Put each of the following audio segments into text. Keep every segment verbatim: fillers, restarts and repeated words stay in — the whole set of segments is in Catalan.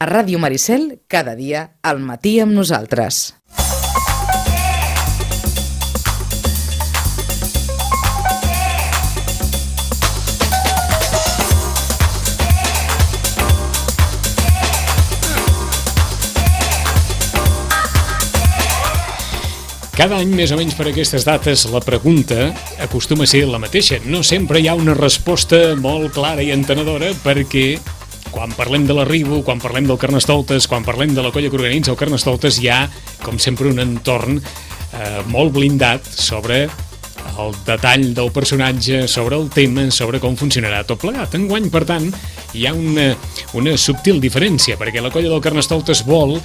A Ràdio Maricel, cada dia, al matí amb nosaltres. Cada any, més o menys per aquestes dates, la pregunta acostuma a ser la mateixa. No sempre hi ha una resposta molt clara i entenedora, perquè quan parlem de l'arribo, quan parlem del Carnestoltes, quan parlem de la colla que organitza el Carnestoltes, hi ha, com sempre, un entorn eh, molt blindat sobre el detall del personatge, sobre el tema, sobre com funcionarà tot plegat. Enguany, per tant, hi ha una, una subtil diferència, perquè la colla del Carnestoltes vol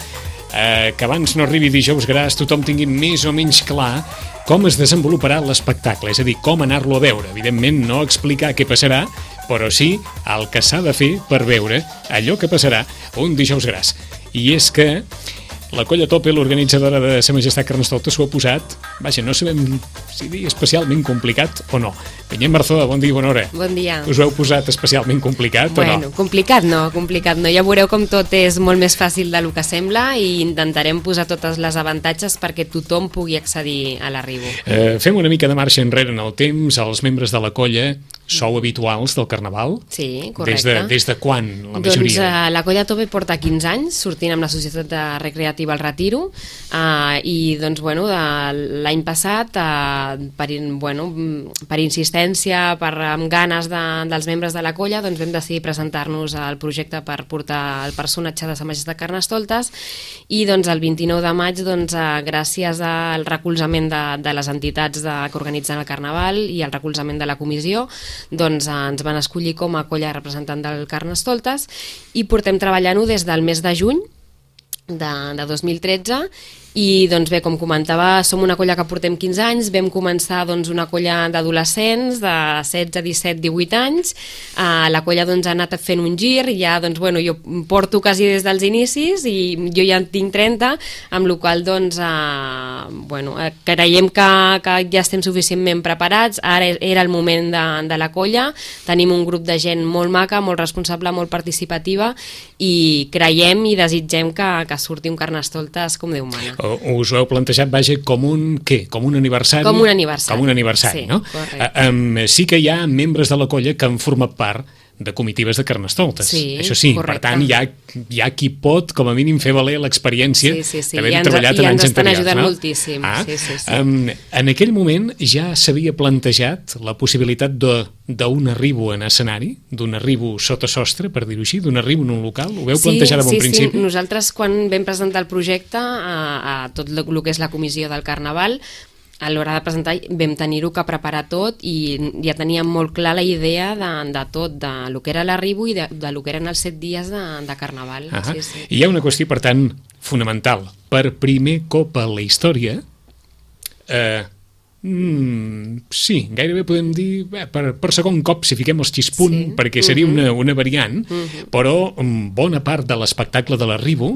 Eh, que abans no arribi dijous gras tothom tingui més o menys clar com es desenvoluparà l'espectacle, és a dir, com anar-lo a veure. Evidentment, no explicar què passarà, però sí el que s'ha de fer per veure allò que passarà un dijous gras. I és que la colla Tope, l'organitzadora de Sa Majestat Carnestoltes, s'ho ha posat, vaja, no sabem si dir especialment complicat o no. Vinyet Marzó, bon dia i bona hora. Bon dia. Us ho heu posat especialment complicat bueno, o no? Bueno, complicat no, complicat no. Ja veureu com tot és molt més fàcil del que sembla i intentarem posar totes les avantatges perquè tothom pugui accedir a l'arribo. Eh, fem una mica de marxa enrere en el temps. Els membres de la colla sou habituals del Carnaval? Sí, correcte. Des de, des de quan, la majoria? Doncs uh, la colla Tope porta quinze anys sortint amb la Societat de Recreativa al Retiro uh, i doncs bueno, l'any passat uh, per, bueno, per insistència, per amb ganes de, dels membres de la colla, doncs vam decidir presentar-nos al projecte per portar el personatge de Sa Majestat Carnestoltes i doncs el vint-i-nou de maig, doncs, uh, gràcies al recolzament de, de les entitats de, que organitzen el Carnaval i al recolzament de la comissió, doncs ens van escollir com a colla representant del Carnestoltes i portem treballant-ho des del mes de juny de, de dos mil tretze i doncs bé, com comentava, som una colla que portem quinze anys, vam començar doncs, una colla d'adolescents de setze, disset, divuit anys, uh, la colla doncs, ha anat fent un gir, ja doncs, bueno, jo porto quasi des dels inicis i jo ja en tinc trenta, amb la qual doncs, uh, bueno, creiem que, que ja estem suficientment preparats, ara era el moment de, de la colla, tenim un grup de gent molt maca, molt responsable, molt participativa i creiem i desitgem que, que surti un Carnestoltes com Déu mana. Us ho heu plantejat, vaja, com un, què? Com un aniversari? Com un aniversari. Com un aniversari, sí, no? Correcte. Uh, um, sí que hi ha membres de la colla que han format part de comitives de Carnestoltes. Sí, això sí, correcte. Per tant, hi ha, hi ha qui pot, com a mínim, fer valer l'experiència sí, sí, sí. d'haver ja treballat ens, en anys anteriors. I ens estan ajudant no? moltíssim. Ah, sí, sí, sí. Um, en aquell moment ja s'havia plantejat la possibilitat d'un arribo en escenari, d'un arribo sota sostre, per dir-ho així, d'un arribo en un local? Ho veu sí, plantejar de bon sí, principi? Sí, nosaltres quan vam presentar el projecte a, a tot el que és la comissió del Carnaval, a l'hora de presentar vam tenir-ho que preparar tot i ja teníem molt clar la idea de, de tot, de lo que era l'arribo i de, de lo que eren els set dies de, de Carnaval. Uh-huh. sí, sí. I hi ha una qüestió, per tant, fonamental. Per primer cop a la història, eh, mm, sí, gairebé podem dir bé, per, per segon cop, si fiquem els xispunt, sí. perquè seria uh-huh. una, una variant, uh-huh. però bona part de l'espectacle de l'arribo,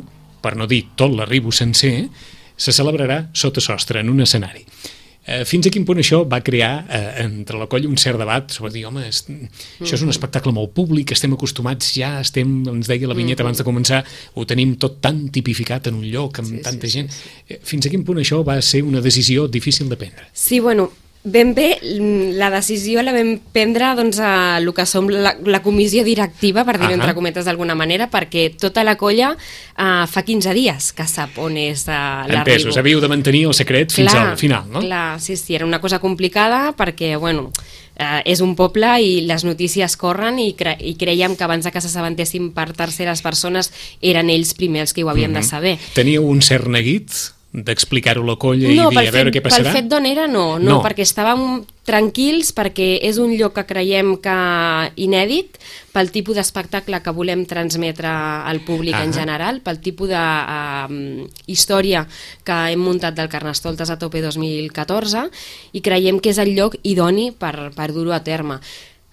per no dir tot l'arribo sencer, se celebrarà sota sostre, en un escenari. Eh, fins a quin punt això va crear eh, entre la colla un cert debat sobre dir, home, es, això és un espectacle molt públic, estem acostumats ja, estem, ens deia la Vinyeta abans de començar, ho tenim tot tan tipificat en un lloc, amb sí, tanta sí, gent. Sí, sí. Fins a quin punt això va ser una decisió difícil de prendre? Sí, bueno, ben bé, la decisió la vam prendre doncs, a el que som la, la comissió directiva, per dir-ho uh-huh. entre cometes d'alguna manera, perquè tota la colla uh, fa quinze dies que sap on és uh, l'arribo. Entesos, havíeu de mantenir el secret fins clar, al final, no? Clar, sí, sí, era una cosa complicada perquè, bueno, uh, és un poble i les notícies corren i, cre i creiem que abans que s'assabentessin per terceres persones eren ells primers els que ho havien uh-huh. de saber. Teníeu un cert neguit d'explicar-ho a la colla no, i dir a veure fet, què passarà? Pel fet d'on era no, no, no, perquè estàvem tranquils, perquè és un lloc que creiem que inèdit, pel tipus d'espectacle que volem transmetre al públic ah. en general, pel tipus de uh, història que hem muntat del Carnestoltes a Tope dos mil catorze i creiem que és el lloc idoni per, per dur-ho a terme.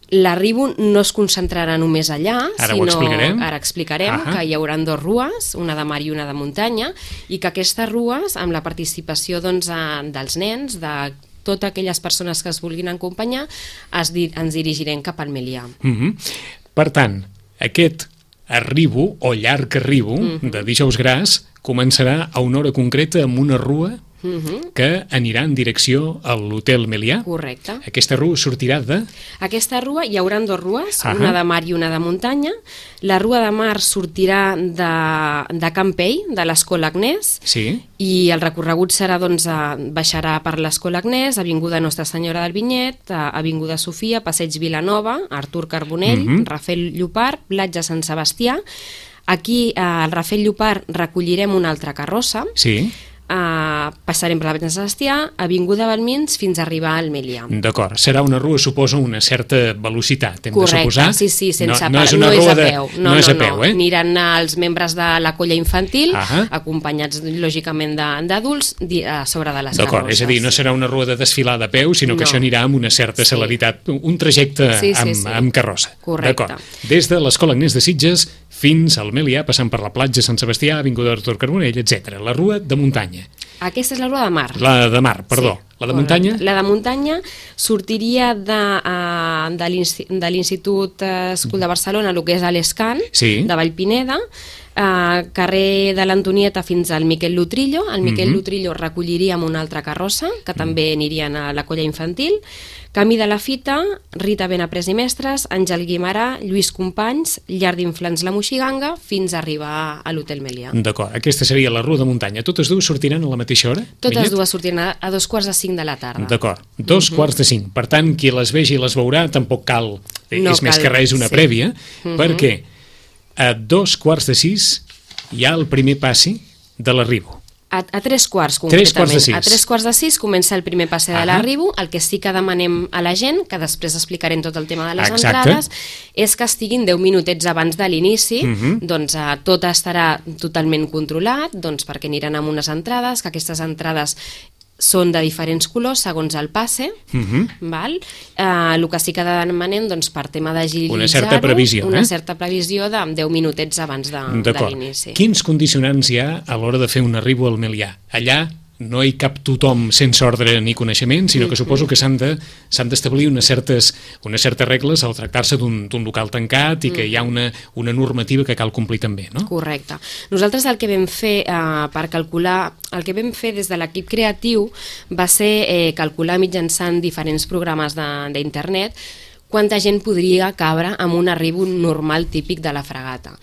L'arribo no es concentrarà només allà, ara sinó, ho explicarem, ara explicarem uh-huh. que hi haurà dos rues, una de mar i una de muntanya, i que aquestes rues, amb la participació doncs, dels nens, de totes aquelles persones que es vulguin acompanyar, es di ens dirigirem cap al Melià. Uh-huh. Per tant, aquest Arribo, o llarg arribo, Mhm. de Dijous Gras, començarà a una hora concreta amb una rua Mhm. que anirà en direcció a l'Hotel Melià. Correcte. Aquesta rua sortirà de... Aquesta rua, hi haurà dues rues, Ahà. una de mar i una de muntanya. La rua de mar sortirà de, de Campell, de l'Escola Agnès, Sí, i el recorregut serà, doncs, a, baixarà per l'Escola Agnès, Avinguda Nostra Senyora del Vinyet, a Avinguda Sofia, Passeig Vilanova, Artur Carbonell, Mhm. Rafel Llopart, Platja Sant Sebastià. Aquí, eh, al Rafel Llopart, recollirem una altra carrossa. sí, Uh, passarem per la Platja Sant Sebastià, Avinguda Balmins, fins a arribar al Melià. d'acord. Serà una rua, suposo, una certa velocitat, hem Correcte, de suposar. sí, sí, sense no, no pa- és una no és rua a de- peu. No, és a peu, eh? Aniran els membres de la colla infantil, Ahà. acompanyats, lògicament, de- d'adults, di- a sobre de les D'acord, carrosses. és a dir, no serà una rua de desfilar de peu, sinó que No. això anirà amb una certa Sí. celeritat, un trajecte Sí, sí, amb, sí. amb carrossa. Correcte. D'acord. Des de l'Escola Agnès de Sitges fins al Melià, passant per la platja Sant Sebastià, Avinguda Artur Carbonell, etcètera. La rua de muntanya. Aquesta és la rua de mar. La de mar, perdó. Sí, la de correcte. muntanya? La de muntanya sortiria de, uh, de l'Insti- de l'Institut uh, School de Barcelona, el que és a l'Escan, Sí. de Vallpineda, uh, carrer de l'Antonieta fins al Miquel Lutrillo. El Miquel Mhm. Lutrillo recolliria amb una altra carrossa, que també anirien a la colla infantil. Camí de la Fita, Rita Benaprés i Mestres, Àngel Guimarà, Lluís Companys, Llar d'Inflants La Moixiganga, fins a arribar a l'Hotel Melià. D'acord, aquesta seria la rua de muntanya. Totes dues sortiran a la mateixa hora? Totes Vinyet? dues sortiran a, a dos quarts de cinc de la tarda. D'acord, dos quarts de cinc. Per tant, qui les vegi i les veurà tampoc cal, No és més cal, que res una sí. prèvia, Mhm. perquè a dos quarts de sis hi ha el primer passi de l'arribo. A, a tres quarts, Tres concretament. quarts de sis. A tres quarts de sis comença el primer passe de Ahà. l'arribo. El que sí que demanem a la gent, que després explicarem tot el tema de les Exacte. entrades, és que estiguin deu minutets abans de l'inici, Mhm. doncs eh, tot estarà totalment controlat, doncs perquè aniran amb unes entrades, que aquestes entrades són de diferents colors segons el passe, Mhm. val? Eh, el que sí que demanem, doncs, per tema d'agilitzar-ho, Una certa previsió, una eh? certa previsió de deu minutets abans de, de D'acord. l'inici. Quins condicionants hi ha a l'hora de fer un arribo al Melià? Allà no hi cap tothom sense ordre ni coneixement, sinó que suposo que s'han de, s'han d'establir unes certes, unes certes regles al tractar-se d'un d'un local tancat i que hi ha una, una normativa que cal complir també, no? Correcte. Nosaltres el que vam fer eh, per calcular, el que vam fer des de l'equip creatiu va ser eh, calcular mitjançant diferents programes de- d'internet quanta gent podria cabre amb un arribo normal típic de la fregata.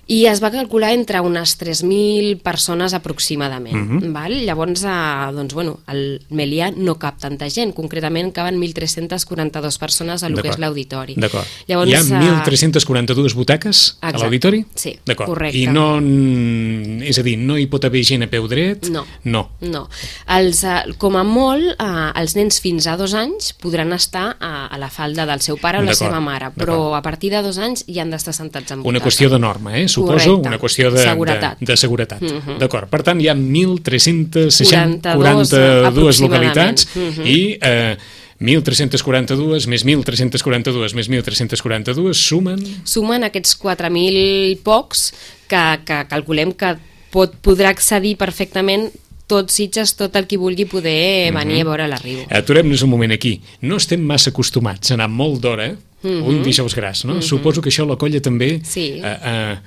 I es va calcular entre unes tres mil persones aproximadament. Mhm. Val? Llavors, eh, doncs, bueno, el Melià no cap tanta gent, concretament caben mil tres-centes quaranta-dues persones a lo que D'acord. és l'auditori. D'acord. Llavors, Hi ha eh, mil tres-centes quaranta-dues butaques a Exacte. l'auditori? Sí, D'acord. correcte. I no, mm, és a dir, no hi pot haver gent a peu dret? No. No. No. Els, eh, com a molt, eh, els nens fins a dos anys podran estar a, a la falda del seu pare o la D'acord, seva mare, però a partir de dos anys ja han d'estar sentats en Una butaca. qüestió de norma, eh? Suposo, Correcte. una qüestió de Seguretat. De, de seguretat. Mhm. D'acord. Per tant, hi ha mil tres-cents quaranta-dos, quaranta-dues localitats aproximadament. Mhm. i eh, mil tres-cents quaranta-dues més mil tres-cents quaranta-dues més mil tres-cents quaranta-dues sumen... Sumen aquests quatre mil pocs que, que calculem que pot, podrà accedir perfectament tot Sitges, tot el qui vulgui poder venir a veure l'arribo. Aturem-nos un moment aquí. No estem massa acostumats a anar molt d'hora Mhm. un Dijous Gras, no? Suposo que això la colla també... Sí. Eh, eh,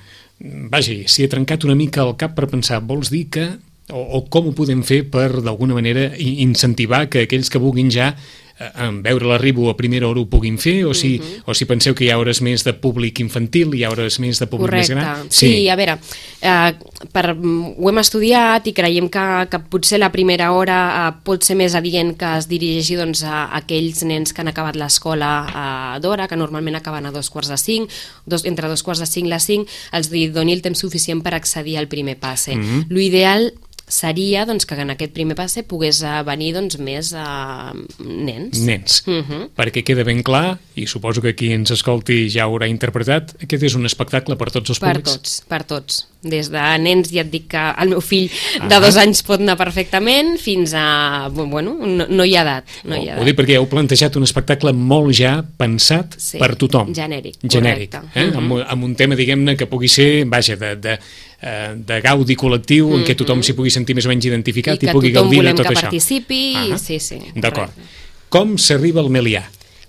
vagi, s'hi ha trencat una mica el cap per pensar, vols dir que... O, o com ho podem fer per, d'alguna manera, i- incentivar que aquells que vulguin ja eh, en veure l'arribo a primera hora ho puguin fer, o si, o si penseu que hi ha hores més de públic infantil, hi ha hores més de públic Correcte. més gran? Sí. sí, a veure, eh, per, ho hem estudiat i creiem que, que potser la primera hora eh, pot ser més adient que es dirigeixi doncs, a aquells nens que han acabat l'escola eh, d'hora, que normalment acaben a dos quarts de cinc, dos, entre dos quarts de cinc i les cinc, els doni el temps suficient per accedir al primer passe. Mhm. L'ideal seria doncs, que en aquest primer passe pogués eh, venir doncs, més eh, nens. Nens. Mhm. Perquè queda ben clar, i suposo que qui ens escolti ja ho haurà interpretat, aquest és un espectacle per tots els Per públics. tots, per tots. Des de nens, ja et dic que el meu fill de Ah. dos anys pot anar perfectament, fins a... Bueno, no, no hi ha edat. No hi ha Ho edat. dic perquè heu plantejat un espectacle molt ja pensat Sí, per tothom. genèric, Genèric. correcte. Eh? Mhm. amb, amb un tema, diguem-ne, que pugui ser, vaja, de, de, eh, de gaudi col·lectiu, en què tothom s'hi pugui sentir més o menys identificat I i, que pugui tothom gaudir de volem tot que això. participi, Ah, sí, sí. D'acord. correcte. Com s'arriba al Melià?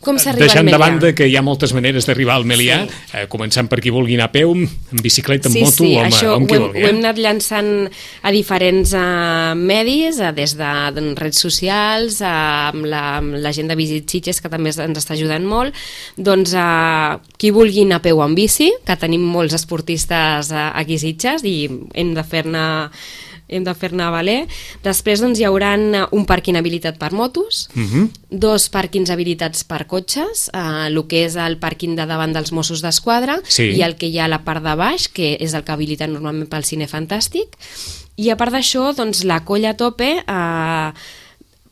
Com s'arriba al deixant Melià? de banda que hi ha moltes maneres d'arribar al Melià, Sí. eh, començant per qui vulgui anar a peu, en bicicleta, en Sí, moto sí, o amb, això o amb ho qui hem, vulgui. ho hem Eh? anat llançant a diferents uh, medis, uh, des de uh, redes socials, uh, amb, la, amb la gent de Visit Sitges, que també ens està ajudant molt. Doncs uh, qui vulgui anar a peu o en bici, que tenim molts esportistes uh, aquí a Sitges i hem de fer-ne hem de fer-ne valer. Després doncs, hi haurà un pàrquing habilitat per motos, Uh -huh. dos pàrquings habilitats per cotxes, eh, el que és el pàrquing de davant dels Mossos d'Esquadra Sí. i el que hi ha a la part de baix, que és el que habilita normalment pel Cine Fantàstic. I a part d'això, doncs, la Colla Tope eh,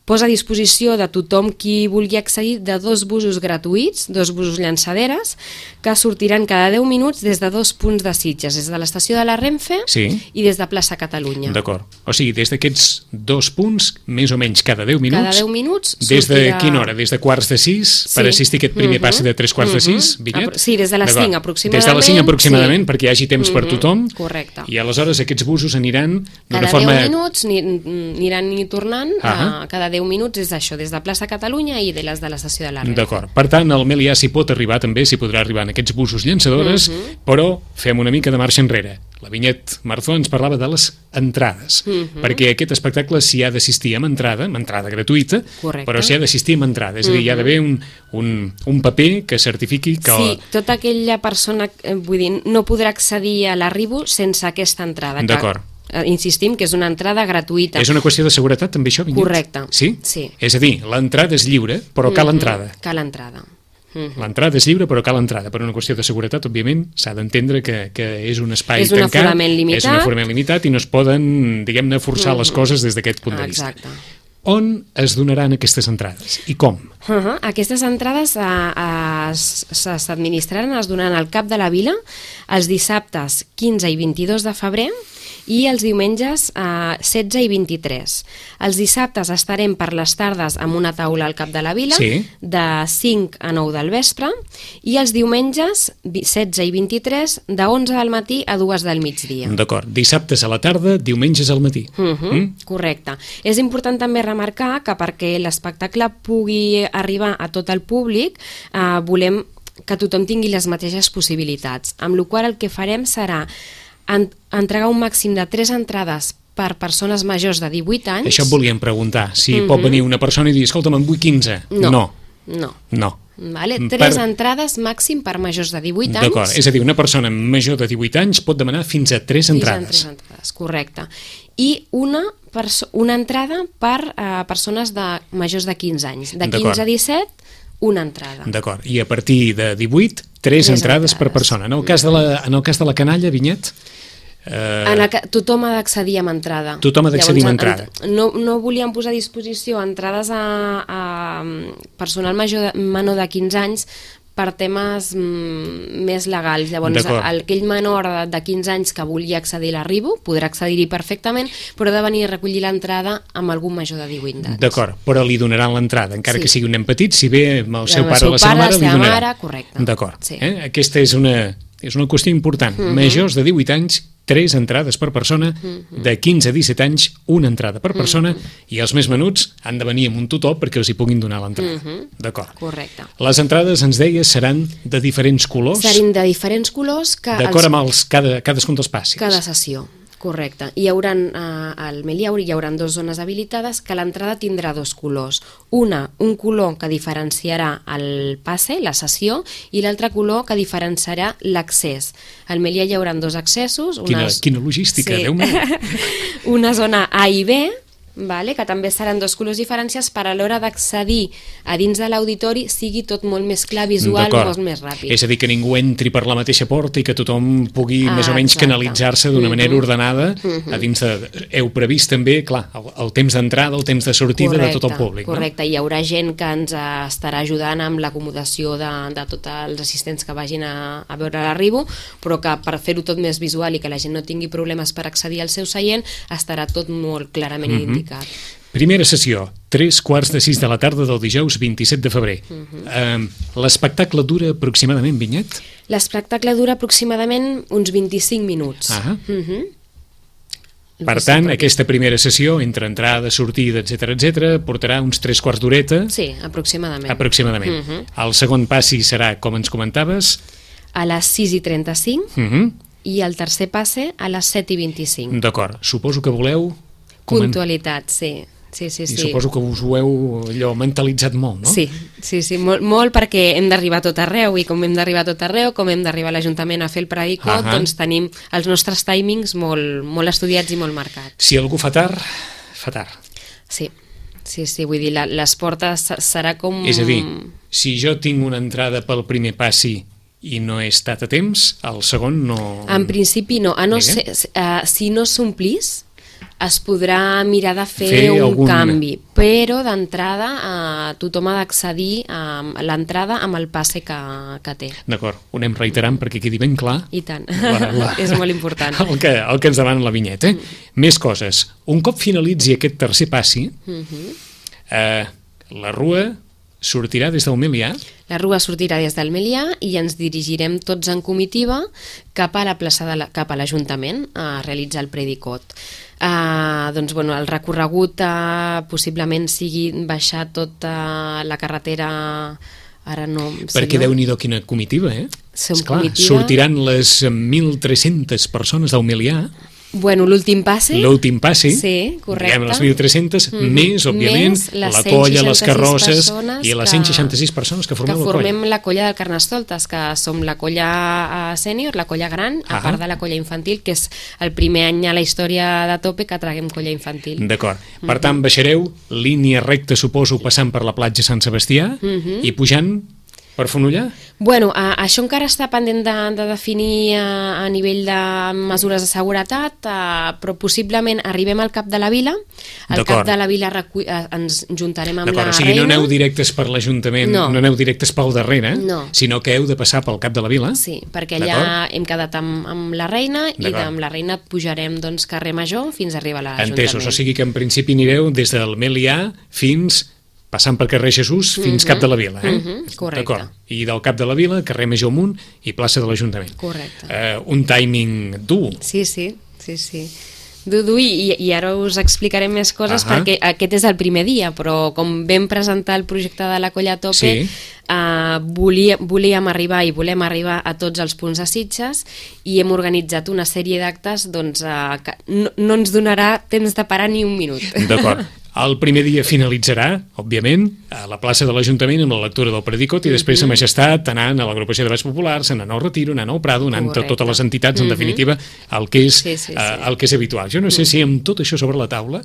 posa a disposició de tothom qui vulgui accedir de dos busos gratuïts, dos busos llançaderes, que sortiran cada deu minuts des de dos punts de Sitges, des de l'estació de la Renfe Sí. i des de plaça Catalunya. D'acord. O sigui, des d'aquests dos punts, més o menys cada deu minuts... Cada deu minuts Des de sortirà... quina hora? Des de quarts de sis Sí. per assistir a aquest primer Mhm. passi de tres quarts de sis, Mhm. Vinyet? Apro- sí, des de les D'acord. cinc aproximadament. Des de les cinc aproximadament, Sí. perquè hi hagi temps per Mhm. tothom. Correcte. I aleshores aquests busos aniran d'una Cada forma... deu minuts ni, aniran i tornant, Ahà. uh, cada deu minuts és això, des de plaça Catalunya i de les de l'estació de la Renfe. D'acord. Per tant, el Melià s'hi pot arribar també, s'hi podrà arribar en aquests busos llançadores, Mhm. però fem una mica de marxa enrere. La Vinyet Marzó ens parlava de les entrades, Mhm. perquè a aquest espectacle s'hi ha d'assistir amb entrada, amb entrada gratuïta, Correcte. però s'hi ha d'assistir amb entrada, és a dir, hi ha d'haver un, un, un paper que certifiqui que... Sí, tota aquella persona, eh, vull dir, no podrà accedir a l'arribo sense aquesta entrada. que, D'acord. eh, Insistim que és una entrada gratuïta. És una qüestió de seguretat també això, Vinyet? Correcte. Sí? Sí. És a dir, l'entrada és lliure, però cal Mhm. entrada. Cal entrada. Mhm. L'entrada és lliure, però cal entrada. Per una qüestió de seguretat, òbviament, s'ha d'entendre que, que és un espai És un tancat, aforament limitat. és un aforament limitat i no es poden, diguem-ne, forçar Mhm. les coses des d'aquest punt de vista. Exacte. On es donaran aquestes entrades i com? Uh -huh. Aquestes entrades uh, uh, s'administraran, es donaran al Cap de la Vila els dissabtes quinze i vint-i-dos de febrer i els diumenges eh, setze i vint-i-tres. Els dissabtes estarem per les tardes amb una taula al Cap de la Vila, Sí. de cinc a nou del vespre, i els diumenges vi- setze i vint-i-tres de onze del matí a dues del migdia. D'acord. Dissabtes a la tarda, diumenges al matí. Uh -huh, Mm? Correcte. És important també remarcar que perquè l'espectacle pugui arribar a tot el públic, eh, volem que tothom tingui les mateixes possibilitats, amb la qual cosa el que farem serà en, entregar un màxim de tres entrades per persones majors de divuit anys. Això et volíem preguntar. Si Mhm. pot venir una persona i dir, escolta'm, en vull quinze. No. No. No. No. Vale? Per- Tres entrades màxim per majors de divuit anys. D'acord. És a dir, una persona major de divuit anys pot demanar fins a tres Fins a entrades. tres entrades, correcte. I una, perso una entrada per eh, persones de majors de quinze anys. De D'acord. quinze a disset, una entrada. D'acord. I a partir de divuit, tres, Tres entrades, entrades. per persona. En el cas de la, en el cas de la canalla, Vinyet... Eh, En el que tothom ha d'accedir amb entrada. Tothom ha d'accedir amb Llavors, entrada. en- No, no volíem posar a disposició entrades a, a personal major de, menor de quinze anys per temes mm, més legals. Llavors, D'acord. aquell menor de, de quinze anys que vulgui accedir a l'arribo podrà accedir-hi perfectament, però ha de venir a recollir l'entrada amb algun major de divuit anys. D'acord, però li donaran l'entrada, encara Sí. que sigui un nen petit, si ve amb el seu El pare seu o la seva pare, mare, la li seva donaran. mare, correcte. D'acord. Sí. Eh? Aquesta és una, és una qüestió important. Mhm. Majors de divuit anys, tres entrades per persona, Mhm. de quinze a disset anys, una entrada per persona, i els més menuts han de venir amb un tutor perquè els hi puguin donar l'entrada. Mhm. D'acord. Correcte. Les entrades, ens deies, seran de diferents colors, Serin de diferents colors que d'acord els amb els, cada, cadascun dels passis. Cada sessió, correcte. Hi haurà, eh, al Melià hi haurà dues zones habilitades que l'entrada tindrà dos colors. Una, un color que diferenciarà el passe, la sessió, i l'altre color que diferenciarà l'accés. Al Melià hi haurà dos accessos. Quina, Unes... quina logística, Sí. Déu meu. Una zona A i B, vale? Que també seran dos colors diferenciats per a l'hora d'accedir a dins de l'auditori sigui tot molt més clar, visual, D'acord. molt més ràpid. És a dir, que ningú entri per la mateixa porta i que tothom pugui Ah, més o menys exacte. canalitzar-se d'una Mhm. manera ordenada Mhm. a dins de... Heu previst també, clar, el, el temps d'entrada, el temps de sortida Correcte, de tot el públic, correcte. Hi haurà gent que ens eh, estarà ajudant amb l'acomodació de, de tots els assistents que vagin a, a veure l'arribo, però que per fer-ho tot més visual i que la gent no tingui problemes per accedir al seu seient, estarà tot molt clarament Mhm. indicat. no? Primera sessió, tres quarts de sis de la tarda del dijous vint-i-set de febrer. Mhm. eh, L'espectacle dura aproximadament, Vinyet? L'espectacle dura aproximadament uns vint-i-cinc minuts. Ah. Mhm. Per tant, aquesta primera sessió, entre entrada, sortida, etcètera, etcètera, portarà uns tres quarts d'horeta. Sí, aproximadament. Aproximadament. Uh -huh. El segon passi serà, com ens comentaves? A les sis i trenta-cinc uh -huh. i el tercer passe a les set i vint-i-cinc. D'acord. Suposo que voleu... Puntualitat, sí. Sí, sí, sí. I suposo que us ho heu allò mentalitzat molt, no? Sí, sí, sí, molt, molt perquè hem d'arribar a tot arreu i com hem d'arribar a tot arreu, com hem d'arribar a l'Ajuntament a fer el predicot, uh -huh. doncs tenim els nostres timings molt, molt estudiats i molt marcats. Si algú fa tard, fa tard. Sí, sí, sí, vull dir, la, les portes serà com... És a dir, si jo tinc una entrada pel primer passi i no he estat a temps, el segon no... En principi no, a no ser, uh, si no s'omplís, es podrà mirar de fer, fer un algun... canvi, però d'entrada eh, tothom ha d'accedir a l'entrada amb el passe que, que té. D'acord, ho anem reiterant perquè quedi ben clar. I tant, la, la... és molt important. El que, el que ens demana la vinyeta. Eh? Mm. Més coses. Un cop finalitzi aquest tercer passi, mm -hmm. eh, la rua sortirà des del Melià. La rua sortirà des del Melià i ens dirigirem tots en comitiva cap a la plaça de la, cap a l'Ajuntament a realitzar el predicot. Uh, doncs, bueno, el recorregut uh, possiblement sigui baixar tota la carretera, ara no... Perquè si no... Déu-n'hi-do quina comitiva, eh? Som Esclar, comitiva... sortiran les mil tres-centes persones del Melià. Bueno, l'últim passi. L'últim passi. Sí, correcte. Diguem les mil tres-centes, mm -hmm. més, òbviament, més la colla, les carrosses i les cent seixanta-sis persones que formem que la colla. Que formem la colla del Carnestoltes, que som la colla sènior, la colla gran, a ah part de la colla infantil, que és el primer any a la història de Tope que traguem colla infantil. D'acord. Per tant, baixareu línia recta, suposo, passant per la platja Sant Sebastià mm -hmm. i pujant per Fonollar? Bueno, a, això encara està pendent de, de definir a, a nivell de mesures de seguretat, a, però possiblement arribem al cap de la vila, al cap de la vila recu... ens juntarem amb la reina. O sigui, no aneu directes per l'Ajuntament, no. no aneu directes pel darrere, no. sinó que heu de passar pel cap de la vila? Sí, perquè allà hem quedat amb, amb la reina i amb la reina pujarem doncs, carrer Major fins a arribar a l'Ajuntament. Entesos, o sigui que en principi anireu des del Melià fins... passant per carrer Jesús fins uh -huh. cap de la Vila, eh? Uh -huh. Correcte. I del cap de la Vila, carrer Major amunt i plaça de l'Ajuntament. Correcte. Uh, un timing dur. Sí, sí, sí, sí. Dur, dur, i, i ara us explicaré més coses uh -huh. perquè aquest és el primer dia, però com vam presentar el projecte de la Colla Tope, sí. uh, volia, volíem arribar i volem arribar a tots els punts de Sitges i hem organitzat una sèrie d'actes doncs, uh, que no, no ens donarà temps de parar ni un minut. D'acord. El primer dia finalitzarà, òbviament, a la plaça de l'Ajuntament amb la lectura del predicot i després mm -hmm. a Majestat anant a l'agrupació de Bats Populars, anant al Retiro, anant al Prado, anant a totes les entitats, en mm -hmm. definitiva, el que és, sí, sí, sí. Uh, el que és habitual. Jo no sé mm -hmm. si amb tot això sobre la taula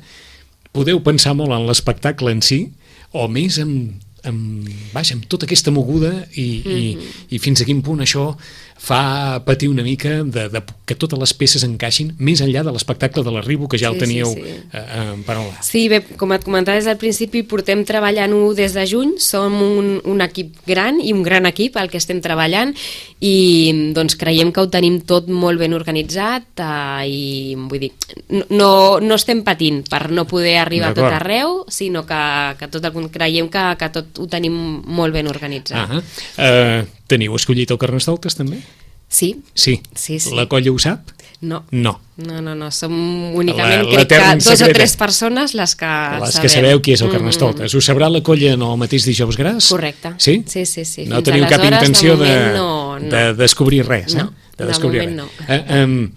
podeu pensar molt en l'espectacle en si o més en, en, vaja, amb tota aquesta moguda i, mm -hmm. i, i fins a quin punt això fa patir una mica de, de que totes les peces encaixin més enllà de l'espectacle de l'arribo que ja sí, el teníeu sí, sí. Eh, en paraula. Sí, bé, com et comentava des del principi, portem treballant-ho des de juny, som un, un equip gran i un gran equip el que estem treballant i doncs creiem que ho tenim tot molt ben organitzat eh, i vull dir, no, no estem patint per no poder arribar a tot arreu, sinó que, que tot el, creiem que, que tot ho tenim molt ben organitzat. Uh -huh. uh, Teniu escollit el Carnestoltes també? Sí. Sí. sí, sí. La colla ho sap? No. No. No, no, no. Som únicament, la, crec que dos o tres persones les que les sabem. que sabeu qui és el Carnestoltes. Mm -hmm. Us sabrà la colla en el mateix dijous gras? Correcte. Sí? Sí, sí, sí. No teniu cap intenció de, de, no, no. de descobrir res, eh? No, de, de descobrir moment res. no. Eh, um,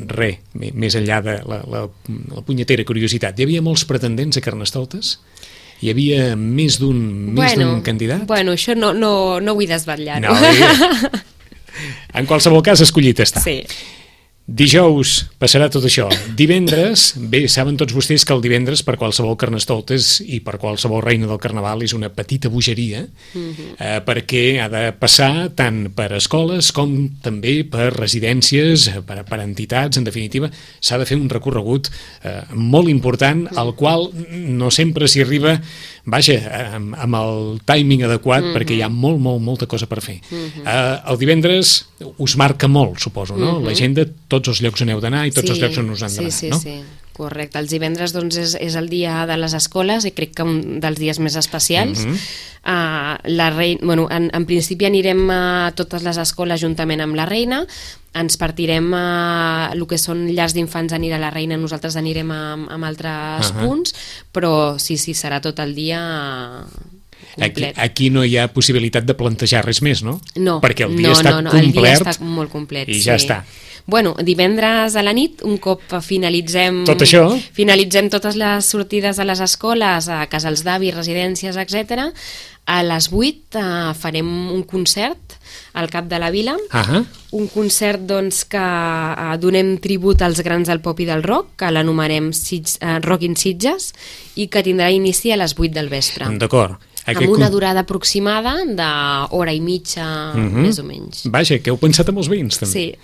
res, més enllà de la, la, la punyetera curiositat. Hi havia molts pretendents a Carnestoltes? Hi havia més d'un bueno, candidat? Bueno, això no, no, no vull desvetllar-ho. No, en qualsevol cas, escollit està. Sí. Dijous passarà tot això. Divendres, bé, saben tots vostès que el divendres per qualsevol Carnestoltes i per qualsevol reina del Carnaval és una petita bogeria mm-hmm. eh, perquè ha de passar tant per escoles com també per residències, per, per entitats, en definitiva, s'ha de fer un recorregut eh, molt important al qual no sempre s'hi arriba, vaja, amb, amb el timing adequat mm-hmm. perquè hi ha molt, molt, molta cosa per fer. Mm-hmm. Eh, el divendres us marca molt, suposo, no? Mm-hmm. L'agenda, tots els llocs on heu d'anar i tots sí, els llocs on us han d'anar, sí, sí, no? Sí. Correcte, els divendres doncs, és, és el dia de les escoles i crec que un dels dies més especials. Mm -hmm. uh, la reina, bueno, en, en principi anirem a totes les escoles juntament amb la reina, ens partirem a el que són llars d'infants, anirà la reina, nosaltres anirem a, a altres uh -huh. punts, però sí, sí, serà tot el dia complet. Aquí, aquí no hi ha possibilitat de plantejar res més, no? No, perquè el dia no, està no, no, complet, el dia està molt complet, i sí. ja està. Bueno, divendres a la nit, un cop finalitzem tot això, finalitzem totes les sortides a les escoles, a casals d'avis, residències, etcètera, a les vuit eh, farem un concert al Cap de la Vila, uh-huh. un concert doncs, que eh, donem tribut als grans del pop i del rock, que l'anomenem eh, Rock in Sitges, i que tindrà inici a les vuit del vespre. D'acord. Aquest amb una durada aproximada d'hora i mitja, uh-huh. més o menys. Vaja, que heu pensat amb els veïns, també. Sí.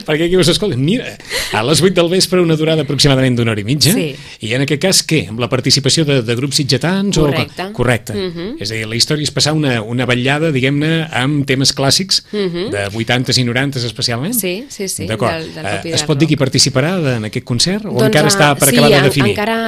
Perquè aquí us escolten, mira, a les vuit del vespre una durada aproximadament d'una hora i mitja, sí. i en aquest cas, què? Amb la participació de, de grups sitgetans? Correcte. O... Correcte. Uh-huh. És a dir, la història és passar una, una vetllada, diguem-ne, amb temes clàssics, uh-huh. de vuitantes i norantes especialment? Sí, sí, sí. D'acord. Del, del pop i uh, del es pot rock. dir qui participarà en aquest concert? O doncs, encara està per sí, acabar de definir? Sí, encara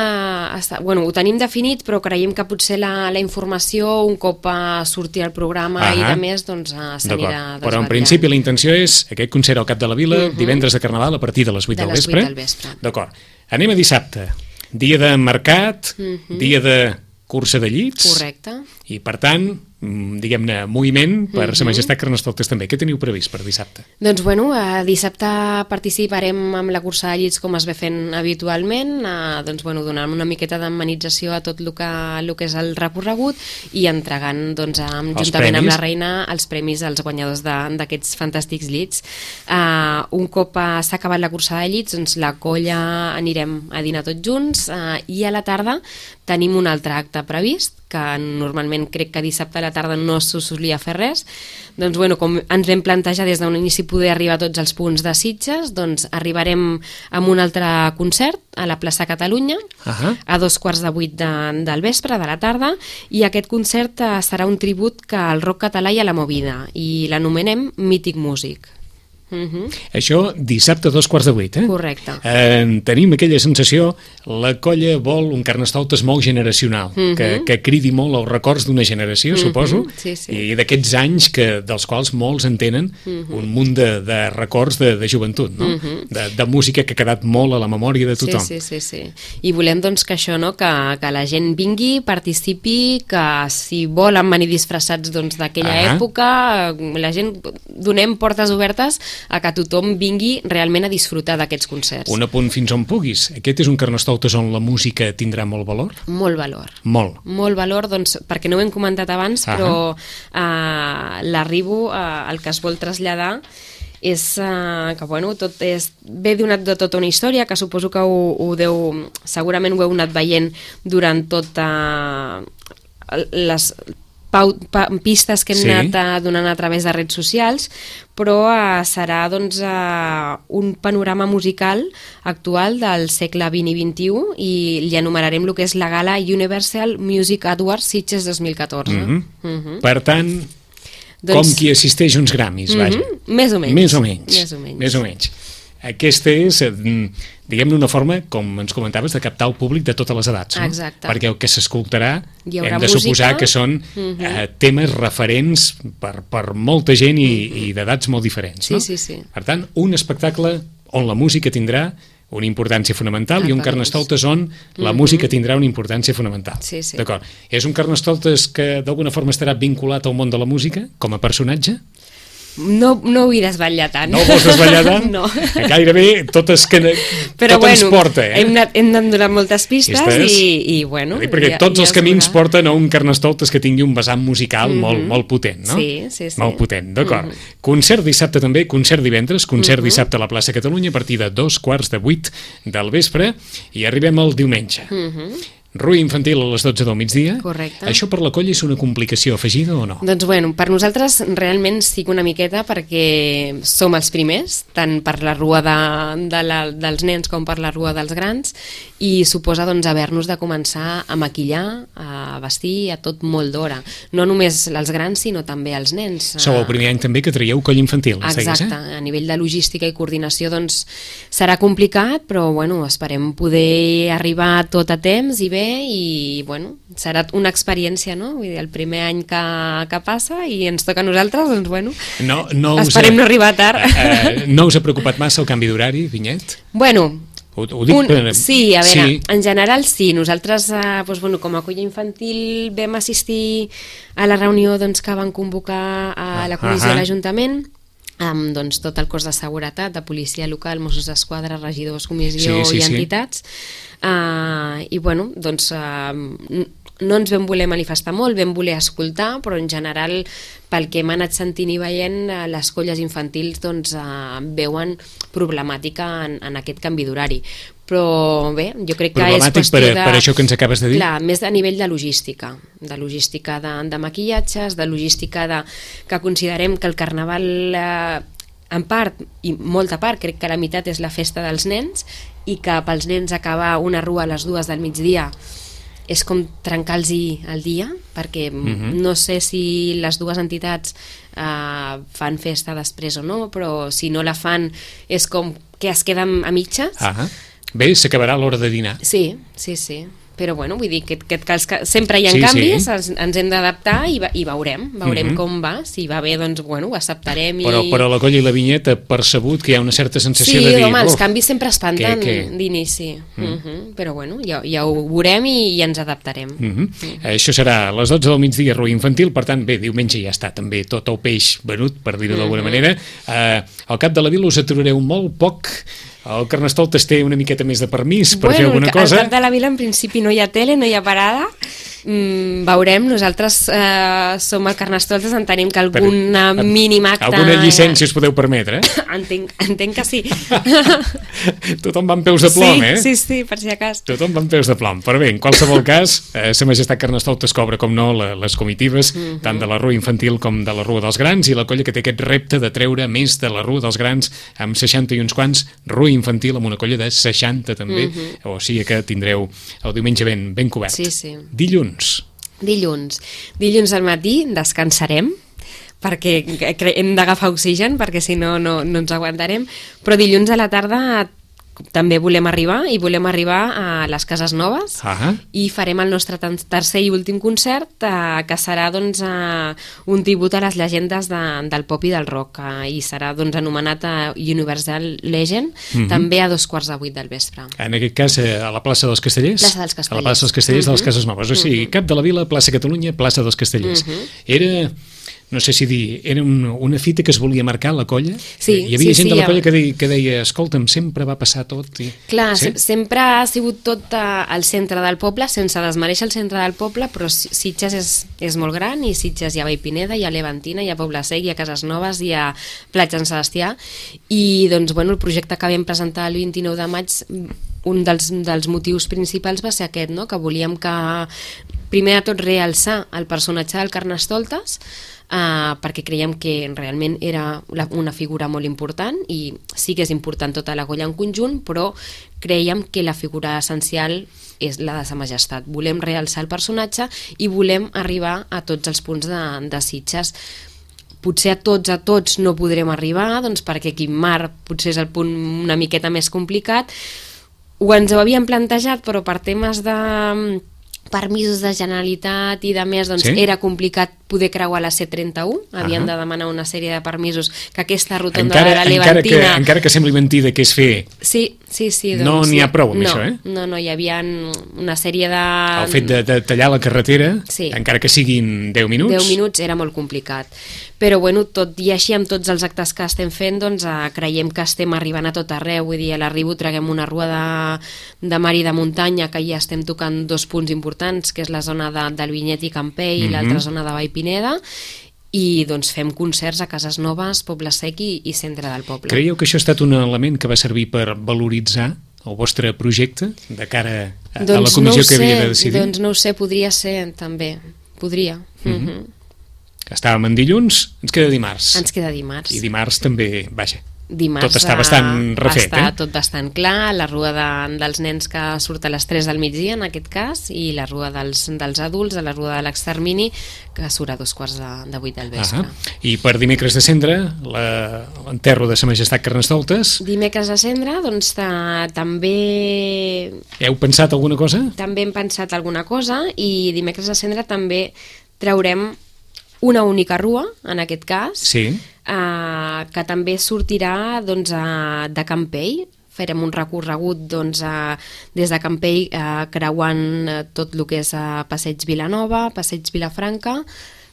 està... Bueno, ho tenim definit, però creiem que potser la, la informació un cop a sortir al programa uh-huh. i de més, doncs s'anirà desvetllant. Però en principi la intenció és aquest concert al Cap de la Vila, uh-huh. divendres de Carnaval a partir de les vuit de del les vespre. vuit del vespre. D'acord. Anem a dissabte. Dia de mercat, uh-huh. dia de cursa de llits. Correcte. I per tant, diguem-ne, moviment per uh-huh. Sa Majestat Carnestoltes també. Què teniu previst per dissabte? Doncs bueno, eh, dissabte participarem amb la cursa de llits com es ve fent habitualment, eh, doncs bueno, donant una miqueta d'amenització a tot el que, el que és el recorregut i entregant doncs, amb, juntament premis. Amb la reina els premis als guanyadors d'aquests fantàstics llits. Eh, un cop eh, s'ha acabat la cursa de llits, doncs la colla anirem a dinar tots junts eh, i a la tarda tenim un altre acte previst, que normalment crec que dissabte a la tarda no s'ho solia fer res, doncs bueno, com ens vam plantejar des d'un inici poder arribar a tots els punts de Sitges, doncs arribarem amb un altre concert a la plaça Catalunya, uh-huh. a dos quarts de vuit de, del vespre, de la tarda, i aquest concert eh, serà un tribut que al rock català i a la movida, i l'anomenem Mític Músic. Uh-huh. Això dissabte a dos quarts de vuit, eh? Correcte. Eh, tenim aquella sensació, la colla vol un Carnestoltes molt generacional, uh-huh. que, que cridi molt els records d'una generació, uh-huh. suposo, sí, sí. i d'aquests anys que, dels quals molts en tenen uh-huh. un munt de, de records de, de joventut, no? Uh-huh. de, de música que ha quedat molt a la memòria de tothom. Sí, sí, sí, sí. I volem doncs que això, no? que, que la gent vingui, participi, que si volen venir disfressats doncs, d'aquella uh-huh. època, la gent donem portes obertes a que tothom vingui realment a disfrutar d'aquests concerts. Un apunt fins on puguis. Aquest és un Carnestoltes on la música tindrà molt valor? Molt valor. Molt. Molt valor, doncs, perquè no ho hem comentat abans, uh-huh. però uh, l'arribo, uh, el que es vol traslladar és uh, que, bueno, tot és, ve donat de tota una història, que suposo que ho, ho deu, segurament ho heu anat veient durant tota les Pau, pa, pistes que hem sí. anat uh, donant a través de redes socials, però uh, serà doncs, uh, un panorama musical actual del segle vint i vint-i-u i li enumerarem el que és la gala Universal Music Awards Sitges dos mil catorze. Mm-hmm. Mm-hmm. Per tant, doncs... com qui assisteix uns Grammys, vaja. Mm-hmm. Més o menys. Més o menys. Més o menys. Més o menys. Aquesta és, diguem-ne, una forma, com ens comentaves, de captar el públic de totes les edats, no? Exacte. Perquè el que s'escoltarà hem de música. suposar que són uh-huh. eh, temes referents per, per molta gent i, uh-huh. i d'edats molt diferents, sí, no? Sí, sí. Per tant, un espectacle on la música tindrà una importància fonamental ah, i un Carnestoltes on la uh-huh. música tindrà una importància fonamental. Sí, sí. D'acord. És un Carnestoltes que d'alguna forma estarà vinculat al món de la música com a personatge? No, no ho vull desvetllar tant. No ho vols desvetllar tant? No. Gairebé totes que Però tot bueno, ens porta, eh? hem anat, hem anat donant moltes pistes Pistes? i, i bueno... Dir, perquè ja, tots ja els camins veurà. porten a un Carnestoltes que tingui un vessant musical mm-hmm. molt, molt potent, no? Sí, sí, sí. Molt potent, d'acord. Mm-hmm. Concert dissabte també, concert divendres, concert mm-hmm. dissabte a la plaça Catalunya a partir de dos quarts de vuit del vespre i arribem al diumenge. Mm-hmm. Rui infantil a les dotze del migdia. Correcte. Això per la colla és una complicació afegida o no? Doncs bueno, per nosaltres realment sí que una miqueta, perquè som els primers, tant per la rua de, de la, dels nens com per la rua dels grans, i suposa doncs haver-nos de començar a maquillar, a vestir, a tot molt d'hora. No només els grans, sinó també els nens. Sou el primer any també que traieu colla infantil. Exacte, eh? A nivell de logística i coordinació doncs serà complicat, però bueno, esperem poder arribar tot a temps i bé, i bueno, serà una experiència, no? Vull dir, el primer any que, que passa i ens toca a nosaltres, doncs bueno, no, no esperem us, no arribar tard. Uh, no us ha preocupat massa el canvi d'horari, Vinyet? Bueno, ho, ho dic un, per... sí, a veure, sí. En general sí, nosaltres eh, doncs, bueno, com a colla infantil vam assistir a la reunió doncs, que van convocar a la comissió uh -huh. de l'Ajuntament, amb doncs, tot el cos de seguretat, de policia local, Mossos d'Esquadra, regidors, comissió sí, sí, i sí. entitats, uh, i bueno, doncs uh, no ens vam voler manifestar molt, vam voler escoltar, però en general pel que hem anat sentint i veient, les colles infantils doncs, uh, veuen problemàtica en, en aquest canvi d'horari. Però bé, jo crec que és qüestió per, de... per això que ens acabes de dir? Clar, més a nivell de logística, de logística de, de maquillatges, de logística de, que considerem que el carnaval, eh, en part, i molta part, crec que la meitat és la festa dels nens, i que pels nens acabar una rua a les dues del migdia és com trencar-los el dia, perquè uh-huh. no sé si les dues entitats eh, fan festa després o no, però si no la fan és com que es queden a mitges. Ah, bé, s'acabarà l'hora de dinar. Sí, sí, sí. Però bueno, vull dir que, que, que, que sempre hi ha sí, canvis, sí. ens, ens hem d'adaptar i, i veurem, veurem uh-huh. com va, si va bé doncs bueno, ho acceptarem. Però, i... però la colla i la Vinyeta ha percebut que hi ha una certa sensació sí, de dir... Sí, home, els canvis sempre espanten que, que... d'inici, mm. uh-huh. però bueno, ja, ja ho veurem i, i ens adaptarem. Uh-huh. Uh-huh. Això serà a les dotze del migdia, Rui infantil, per tant, bé, diumenge ja està també tot el peix venut, per dir-ho uh-huh. d'alguna manera. Uh, al cap de la vila us aturareu molt poc. El Carnestoltes té una miqueta més de permís per bueno, fer alguna cosa. Al cap de la vila en principi no hi ha tele, no hi ha parada. Mm, veurem, nosaltres eh, som el Carnestoltes, entenem que alguna per, mínima acta... Alguna llicència us podeu permetre, eh? entenc, entenc que sí. Tothom va amb peus de plom, sí, eh? Sí, sí, per si acas. Tothom va amb peus de plom. Però bé, en qualsevol cas, eh, Sa Majestat Carnestoltes cobra, com no, la, les comitives, mm-hmm. tant de la Rua Infantil com de la Rua dels Grans, i la colla que té aquest repte de treure més de la Rua dels Grans amb seixanta i uns quants, Rua Infantil amb una colla de seixanta també, mm-hmm. o sigui que tindreu el diumenge ben, ben cobert. Sí, sí. Dilluns. Dilluns. Dilluns al matí descansarem, perquè hem d'agafar oxigen, perquè si no, no, no ens aguantarem, però dilluns a la tarda també volem arribar, i volem arribar a les Cases Noves, uh-huh. i farem el nostre tercer i últim concert, eh, que serà doncs, eh, un tribut a les llegendes de, del pop i del rock, eh, i serà doncs, anomenat eh, Universal Legend, uh-huh. també a dos quarts de vuit del vespre. En aquest cas, eh, a la plaça dels Castellers? Plaça dels Castellers. A la plaça dels Castellers uh-huh. de les Cases Noves, o sigui, uh-huh. cap de la vila, plaça Catalunya, plaça dels Castellers. Uh-huh. Era... no sé si dir, era un, una fita que es volia marcar la colla? Sí, hi havia sí, gent sí, de la colla ja... que, deia, que deia, escolta'm, sempre va passar tot. I... Clar, sí? sempre ha sigut tot uh, al centre del poble, sense desmereixer el centre del poble, però Sitges és, és molt gran, i Sitges hi ha Vallpineda, hi ha Levantina, hi ha Poble Sec, hi ha Cases Noves, hi ha Platja en Sebastià, i doncs, bueno, el projecte que vam presentar el vint-i-nou de maig, un dels, dels motius principals va ser aquest, no? Que volíem que, primer de tot, realçar el personatge del Carnestoltes, Uh, perquè creiem que realment era la, una figura molt important, i sí que és important tota la colla en conjunt, però creiem que la figura essencial és la de Sa Majestat. Volem realçar el personatge i volem arribar a tots els punts de, de Sitges. Potser a tots a tots no podrem arribar, doncs perquè Quimar potser és el punt una miqueta més complicat. Ho ens ho havíem plantejat, però per temes de permisos de Generalitat i de més, doncs sí? Era complicat poder creuar la C trenta-u, havien uh-huh. de demanar una sèrie de permisos, que aquesta rotonda encara, de la Levantina... Encara que, encara que sembli mentida que és fer... Sí, sí, sí. Doncs, no n'hi ha prou amb no, això, eh? No, no, hi havia una sèrie de... El fet de, de tallar la carretera, sí. encara que siguin deu minuts... deu minuts era molt complicat. Però, bueno, tot i així, amb tots els actes que estem fent, doncs eh, creiem que estem arribant a tot arreu. Vull dir, a l'arribo traguem una rua de, de mar i de muntanya, que ja estem tocant dos punts importants, que és la zona de, del Vinyet i Campell, mm-hmm. i l'altra zona de Vallpineda, i doncs fem concerts a Cases Noves, Poble Sec i, i centre del poble. Creieu que això ha estat un element que va servir per valoritzar el vostre projecte de cara a, doncs a la comissió no que sé, havia de decidir? Doncs no ho sé, podria ser també, podria. Mm -hmm. Mm -hmm. Estàvem en dilluns, ens queda dimarts. Ens queda dimarts. I dimarts també, vaja, Dimarts tot està bastant refet, està eh? tot bastant clar, la rua de, dels nens que surt a les tres del migdia en aquest cas, i la rua dels, dels adults, a la rua de l'extermini, que surt a dos quarts de, de vuit del vespre. Uh -huh. I per dimecres de cendre, l'enterro de Sa Majestat Carnestoltes. Dimecres de cendre, doncs ta, també... Heu pensat alguna cosa? També hem pensat alguna cosa, i dimecres de cendre també traurem una única rua, en aquest cas, Sí. eh, que també sortirà doncs, a, de Campell. Farem un recorregut doncs, a, des de Campell, eh, creuant eh, tot el que és a Passeig Vilanova, Passeig Vilafranca,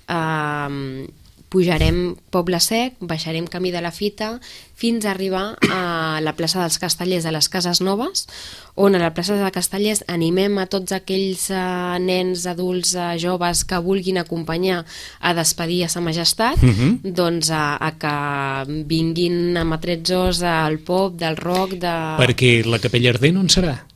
eh, pujarem Poble Sec, baixarem Camí de la Fita, fins a arribar a la plaça dels Castellers, a les Cases Noves, on a la plaça de Castellers animem a tots aquells uh, nens, adults, uh, joves que vulguin acompanyar a despedir a Sa Majestat, Uh -huh. doncs a, a que vinguin amb atrezzos al pop, del rock, de... Perquè la capella ardent on serà?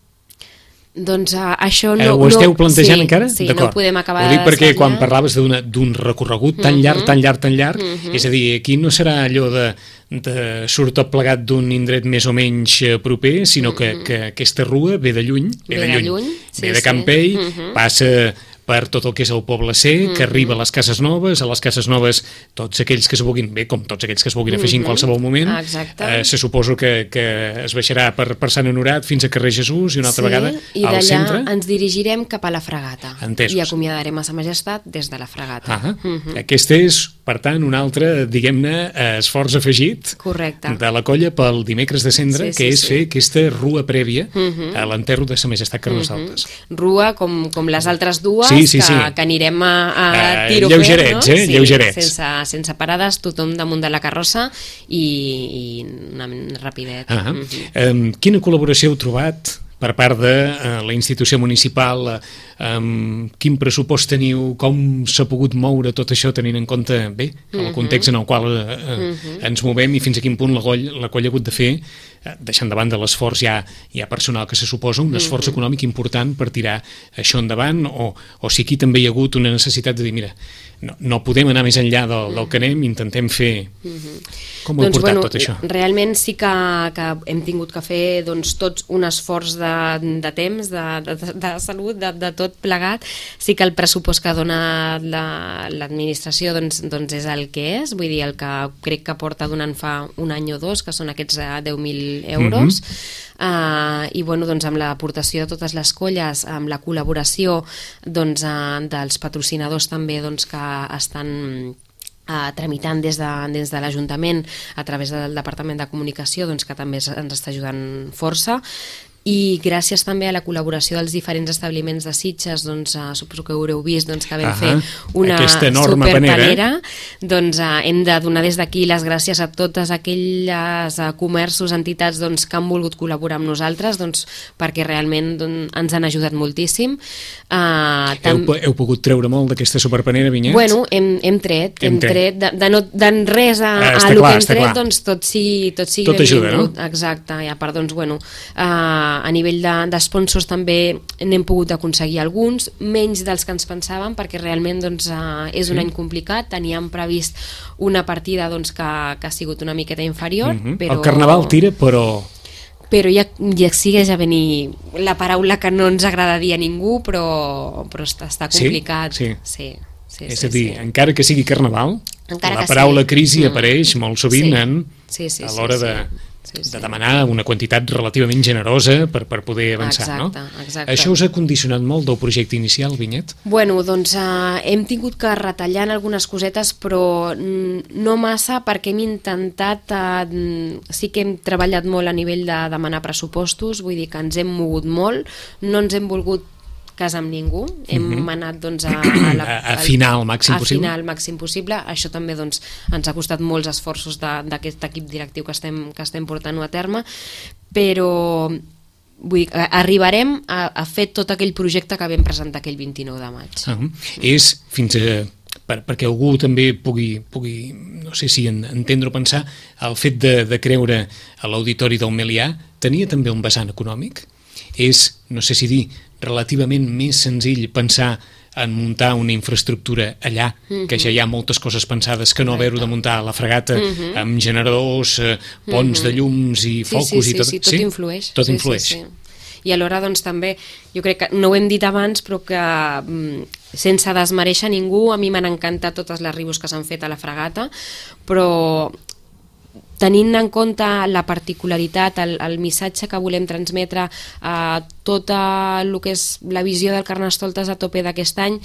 Doncs uh, això no... Eh, ho esteu plantejant sí, encara? Sí, no ho podem acabar de desvetllar. Ho dic perquè de quan parlaves d'un recorregut tan uh -huh. llarg, tan llarg, tan llarg, uh -huh. és a dir, aquí no serà allò de, de surt tot plegat d'un indret més o menys proper, sinó que, uh -huh. que aquesta rua ve de lluny, ve, ve de lluny, lluny sí, ve de Campell, sí. uh -huh. passa per tot el que és el Poble Sec, que arriba a les Cases Noves, a les Cases Noves tots aquells que es vulguin, bé, com tots aquells que es vulguin afegir en qualsevol moment, eh, se suposo que, que es baixarà per, per Sant Honorat fins a Carrer Jesús i una altra sí, vegada i al centre. d'allà ens dirigirem cap a la Fragata. Entesos. I acomiadarem a Sa Majestat des de la Fragata. Ah, uh -huh. Aquest és, per tant, un altre, diguem-ne, esforç afegit Correcte. de la colla pel dimecres de cendre, Sí, que sí, és sí. fer aquesta rua prèvia uh -huh. a l'enterro de Sa Majestat Carnestoltes. Uh -huh. Rua com, com les altres dues, sí, sí, sí. que, que anirem a, a uh, tiro lleugerets, fer, no? eh? Sí, lleugerets. sense, sense parades, tothom damunt de la carrossa i, i una rapidet. Uh -huh. uh -huh. um, quina col·laboració heu trobat per part de uh, la institució municipal? Um, quin pressupost teniu? Com s'ha pogut moure tot això tenint en compte, bé, el context en el qual uh, uh, uh -huh. ens movem i fins a quin punt la colla, la colla ha hagut de fer, uh, deixant de banda l'esforç ja, ja personal que se suposa, un esforç uh -huh. econòmic important per tirar això endavant, o, o si aquí també hi ha hagut una necessitat de dir, mira, no, no podem anar més enllà del, del que anem, intentem fer... Uh -huh. Com ho heu doncs, portat bueno, tot això? Realment sí que, que hem tingut que fer doncs, tots un esforç de, de temps, de, de, de salut, de, de tot plegat. Sí que el pressupost que dona l'administració la, doncs, doncs és el que és, vull dir, el que crec que porta donant fa un any o dos, que són aquests deu mil euros. Uh -huh. uh, i bueno, doncs, amb l'aportació de totes les colles, amb la col·laboració doncs, uh, dels patrocinadors també doncs, que estan Uh, tramitant des de, des de l'Ajuntament a través del Departament de Comunicació, doncs, que també ens està ajudant força, i gràcies també a la col·laboració dels diferents establiments de Sitges, doncs, uh, suposo que haureu vist doncs, que vam uh -huh. fer una superpanera, doncs uh, hem de donar des d'aquí les gràcies a totes aquelles uh, comerços, entitats doncs, que han volgut col·laborar amb nosaltres, doncs, perquè realment doncs, ens han ajudat moltíssim. Uh, tam... heu, heu pogut treure molt d'aquesta superpanera, Vinyet? Bueno, hem, hem tret, hem, hem tret, de, de, no, de res a, ah, a el clar, que hem tret, clar. doncs tot sigui, tot sigui tot ajuda, no? Exacte, ja, per, doncs, bueno, uh, a nivell d'esponsors de, també n'hem pogut aconseguir alguns, menys dels que ens pensàvem, perquè realment doncs, uh, és un sí. any complicat, teníem previst una partida doncs, que, que ha sigut una miqueta inferior. Uh -huh. Però... El Carnaval tira, però... però ja, ja segueix a venir la paraula que no ens agrada dir a ningú, però, però està, està complicat. Sí? Sí. Sí, és sí, a dir, sí. encara que sigui Carnaval, encara la que paraula sí. crisi mm. apareix molt sovint sí. en, sí, sí, a l'hora sí, de... sí. Sí, sí. de demanar una quantitat relativament generosa per, per poder avançar, exacte, no? Exacte. Això us ha condicionat molt del projecte inicial, Vinyet? Bueno, doncs uh, hem tingut que retallar en algunes cosetes, però no massa, perquè hem intentat, uh, sí que hem treballat molt a nivell de demanar pressupostos, vull dir que ens hem mogut molt, no ens hem volgut cas amb ningú, hem uh -huh. anat doncs, a, a, la, a, a afinar al màxim a possible. afinar al màxim possible. Això també doncs, ens ha costat molts esforços d'aquest equip directiu que estem, que estem portant a terme, però vull dir, arribarem a, a fer tot aquell projecte que vam presentar aquell vint-i-nou de maig. Uh -huh. És fins a... Per, perquè algú també pugui, pugui no sé si entendre o pensar, el fet de, de creure a l'auditori del Melià tenia també un vessant econòmic? És, no sé si dir, relativament més senzill pensar en muntar una infraestructura allà, uh-huh. que ja hi ha moltes coses pensades que no haver-ho de muntar a la fregata uh-huh. amb generadors, eh, ponts uh-huh. de llums i focus sí, sí, i tot. Sí, sí, tot sí? influeix. Tot sí, influeix. Sí, sí. I alhora, doncs, també, jo crec que, no ho hem dit abans, però que sense desmereixer ningú, a mi m'han encantat totes les ribos que s'han fet a la fregata, però tenint en compte la particularitat, el, el missatge que volem transmetre a tot el que és la visió del Carnestoltes a tope d'aquest any,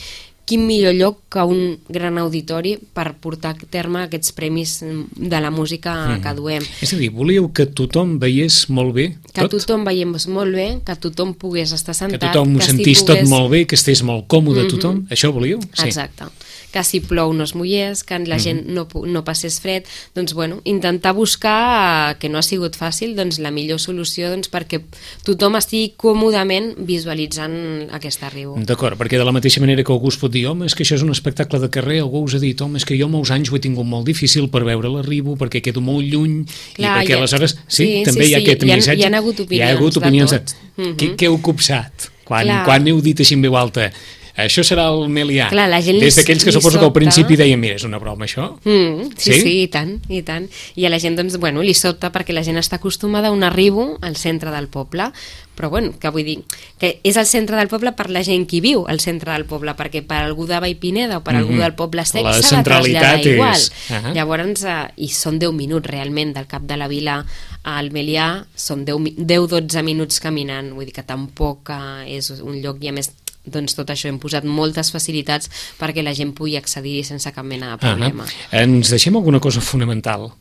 quin millor lloc que un gran auditori per portar a terme aquests premis de la música mm. que duem. És a dir, volíeu que tothom veiés molt bé tot? Que tothom veiés molt bé, que tothom pogués estar sentat. Que tothom ho sentís si pogués... tot molt bé, que estés molt còmode mm-hmm. tothom. Això volíeu? Sí. Exacte. Que si plou no es mullés, que la gent no, no passés fred, doncs bueno, intentar buscar, que no ha sigut fàcil, doncs la millor solució doncs, perquè tothom estigui còmodament visualitzant aquesta riu. D'acord, perquè de la mateixa manera que algú es pot dir, home, és que això és un espectacle de carrer, algú us ha dit, home, és que jo molts anys ho he tingut molt difícil per veure la riu, perquè quedo molt lluny, clar, i perquè ha... aleshores, sí, sí també sí, hi ha sí. aquest hi ha, missatge. Hi ha hagut opinions, hi ha hagut opinions de tot. De... Mm-hmm. Què, què heu copsat? Quan, quan heu dit així en veu alta? Això serà el Melià. Clar, la gent des d'aquells que suposo que al principi deien, mira, és una broma això. Mm, sí, sí, sí, i tant, i tant. I a la gent, doncs, bueno, li sobta perquè la gent està acostumada a un arribo al centre del poble. Però, bueno, que vull dir, que és el centre del poble per la gent que viu al centre del poble, perquè per algú de Vallpineda o per algú del poble sec s'ha de traslladar igual. És... Uh-huh. Llavors, eh, i són deu minuts realment del cap de la vila al Melià, són deu dotze minuts caminant, vull dir que tampoc eh, és un lloc, i a més doncs tot això hem posat moltes facilitats perquè la gent pugui accedir sense cap mena de problema. Uh-huh. Ens deixem alguna cosa fonamental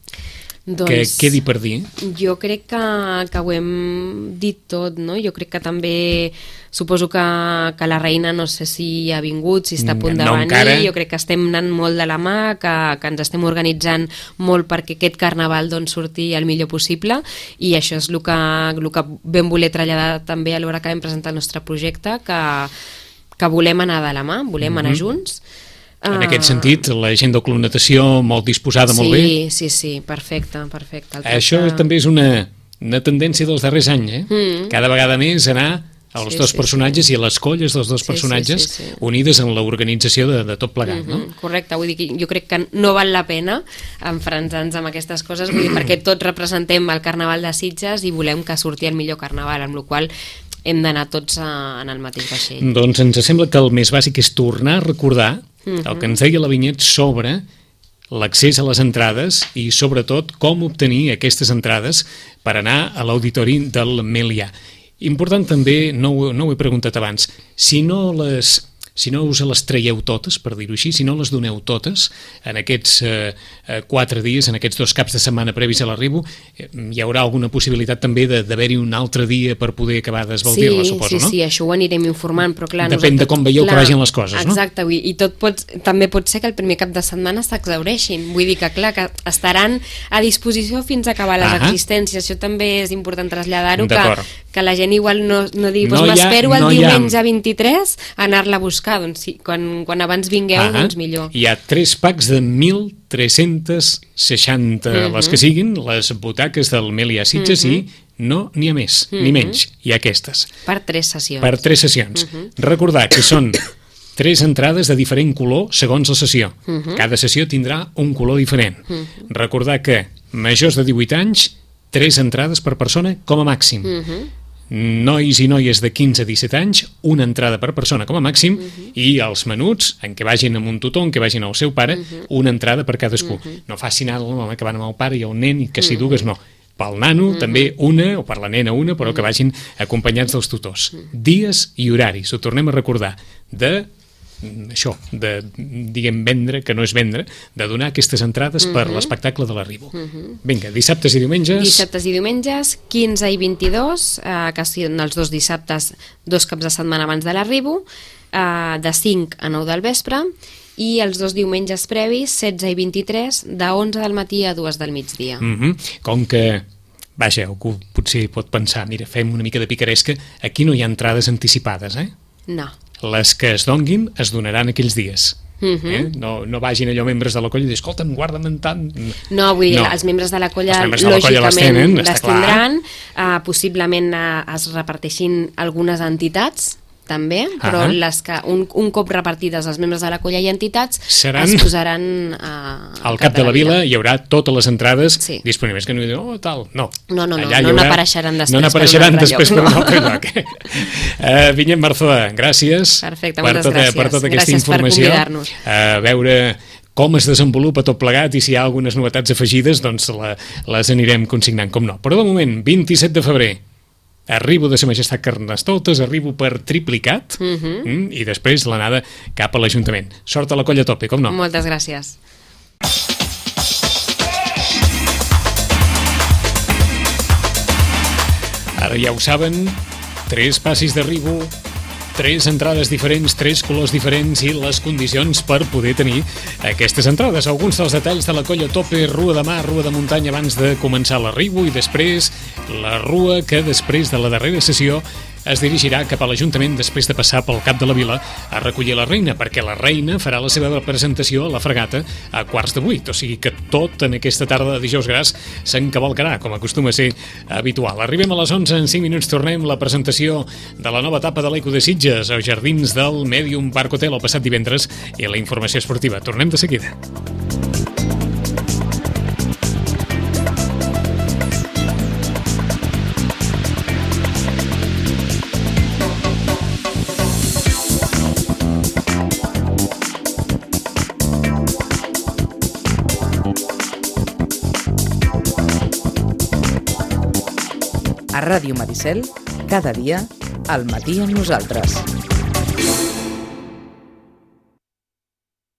doncs, que quedi per dir? Jo crec que, que ho hem dit tot, no? Jo crec que també suposo que, que la reina no sé si ha vingut, si està a punt de no venir, encara. Jo crec que estem anant molt de la mà, que, que ens estem organitzant molt perquè aquest carnaval doncs, surti el millor possible, i això és el que, el que vam voler traslladar també a l'hora que vam presentar el nostre projecte, que, que volem anar de la mà, volem mm-hmm. anar junts. En aquest sentit, la gent de col·lonació molt disposada, sí, molt bé. Sí, sí, sí, perfecte, perfecte. El Això tracte... també és una, una tendència dels darrers anys, eh? Mm. Cada vegada més anar als sí, dos sí, personatges sí. i a les colles dels dos sí, personatges sí, sí, sí. unides en l'organització de, de tot plegat, mm-hmm. no? Correcte, vull dir que jo crec que no val la pena enfrontar-nos amb aquestes coses, vull dir, perquè tots representem el Carnaval de Sitges i volem que surti el millor Carnaval, amb la qual hem d'anar tots a, en el mateix vaixell. Doncs ens sembla que el més bàsic és tornar a recordar mm-hmm. el que ens deia la Vinyet sobre l'accés a les entrades i sobretot com obtenir aquestes entrades per anar a l'auditori del Melià. Important també, no ho, no ho he preguntat abans, si no les... si no us les traieu totes, per dir-ho així, si no les doneu totes en aquests eh, quatre dies, en aquests dos caps de setmana previs a l'arribo, eh, hi haurà alguna possibilitat també d'haver-hi un altre dia per poder acabar d'esbaldir-la, sí, suposo, sí, no? Sí, sí, això ho anirem informant, però clar... Depèn de com veieu clar, que vagin les coses, no? Exacte, i tot pot, també pot ser que el primer cap de setmana s'exhaureixin, vull dir que clar, que estaran a disposició fins a acabar les ah existències, això també és important traslladar-ho, que, que la gent igual no, no digui, doncs no m'espero el no diumenge ha... vint-i-tres a anar-la a buscar, doncs sí, quan, quan abans vingueu, ah doncs millor. Hi ha tres packs de mil tres-cents seixanta, uh-huh. les que siguin, les butaques del Melià Sitges, uh-huh. i no n'hi ha més, uh-huh. ni menys, hi ha aquestes. Per tres sessions. Per tres sessions. Uh-huh. Recordar que són tres entrades de diferent color segons la sessió. Uh-huh. Cada sessió tindrà un color diferent. Uh-huh. Recordar que majors de divuit anys, tres entrades per persona com a màxim. Uh-huh. Nois i noies de quinze a disset anys, una entrada per persona com a màxim, uh-huh. i els menuts, en què vagin amb un tutor, en què vagin al seu pare, uh-huh. una entrada per cadascú. Uh-huh. No faci anar el que van amb el pare i el nen i que s'hi dugues, no. Pel nano uh-huh. també una, o per la nena una, però uh-huh. que vagin acompanyats dels tutors. Uh-huh. Dies i horaris, ho tornem a recordar, de això, de, diguem, vendre, que no és vendre, de donar aquestes entrades uh-huh. per l'espectacle de l'arribo. Uh-huh. Vinga, dissabtes i diumenges... Dissabtes i diumenges, quinze i vint-i-dos, eh, que són els dos dissabtes, dos caps de setmana abans de l'arribo, eh, de cinc a nou del vespre, i els dos diumenges previs, setze i vint-i-tres, de onze del matí a dues del migdia. Uh-huh. Com que... Vaja, algú potser pot pensar, mira, fem una mica de picaresca, aquí no hi ha entrades anticipades, eh? No. Les que es donguin es donaran aquells dies. Uh-huh. Eh? No, no vagin allò membres de la colla i dir, escolta'm, guarda'm tant. No, vull dir, no. els membres de la colla de la lògicament colla les tindran, uh, possiblement uh, es reparteixin algunes entitats també, però uh-huh. les que un, un cop repartides els membres de la colla i entitats seran... es posaran uh, al cap de la vila, hi haurà totes les entrades sí. disponibles, que no hi diuen, oh, tal, no. No, no, no, Allà no haurà... n'apareixeran després, no n'apareixeran per un després lloc, per un altre lloc. uh, Vinyet Marzoa, gràcies, Perfecte, per, moltes tota, gràcies. per tota aquesta Gràcies informació. per convidar-nos. A uh, veure com es desenvolupa tot plegat i si hi ha algunes novetats afegides, doncs la, les anirem consignant, com no. Però de moment, vint-i-set de febrer, arribo de Sa Majestat Carnestoltes, arribo per triplicat, uh-huh. mm, i després l'anada cap a l'Ajuntament. Sort a la colla a tope, com no? Moltes gràcies. Ara ja ho saben, tres passis d'arribo, tres entrades diferents, tres colors diferents i les condicions per poder tenir aquestes entrades. Alguns dels detalls de la colla tope, rua de mar, rua de muntanya abans de començar l'arribo i després la rua que després de la darrera sessió es dirigirà cap a l'Ajuntament després de passar pel cap de la vila a recollir la reina, perquè la reina farà la seva presentació a la fregata a quarts de vuit, o sigui que tot en aquesta tarda de dijous gras s'encavalcarà, com acostuma a ser habitual. Arribem a les onze, en cinc minuts tornem la presentació de la nova etapa de l'Eco de Sitges als jardins del Medium Park Hotel el passat divendres i la informació esportiva. Tornem de seguida. A Ràdio Maricel, cada dia, al matí amb nosaltres.